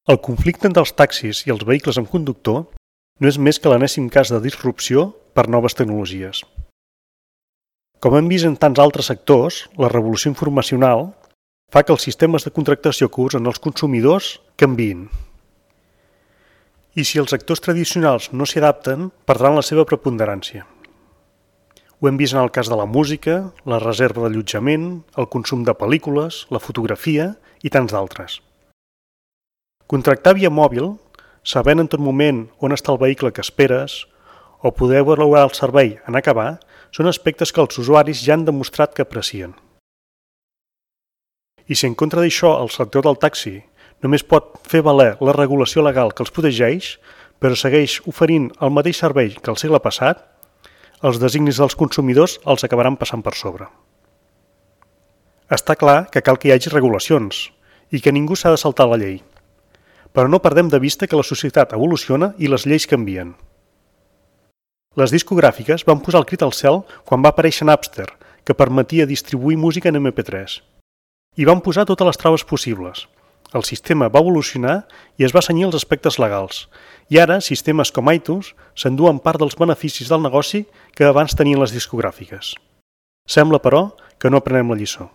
El conflicte entre els taxis i els vehicles amb conductor no és més que l'enèsim cas de disrupció per noves tecnologies. Com hem vist en tants altres sectors, la revolució informacional fa que els sistemes de contractació que usen els consumidors canviïn. I si els actors tradicionals no s'hi adapten, perdran la seva preponderància. Ho hem vist en el cas de la música, la reserva d'allotjament, el consum de pel·lícules, la fotografia i tants d'altres. Contractar via mòbil, sabent en tot moment on està el vehicle que esperes, o poder valorar el servei en acabar, són aspectes que els usuaris ja han demostrat que aprecien. I si en contra d'això el sector del taxi només pot fer valer la regulació legal que els protegeix, però segueix oferint el mateix servei que el segle passat, els designis dels consumidors els acabaran passant per sobre. Està clar que cal que hi hagi regulacions i que ningú s'ha de saltar la llei, però no perdem de vista que la societat evoluciona i les lleis canvien. Les discogràfiques van posar el crit al cel quan va aparèixer Napster, que permetia distribuir música en MP3. I van posar totes les traves possibles. El sistema va evolucionar i es va cenyir als aspectes legals. I ara, sistemes com iTunes s'enduen part dels beneficis del negoci que abans tenien les discogràfiques. Sembla, però, que no aprenem la lliçó.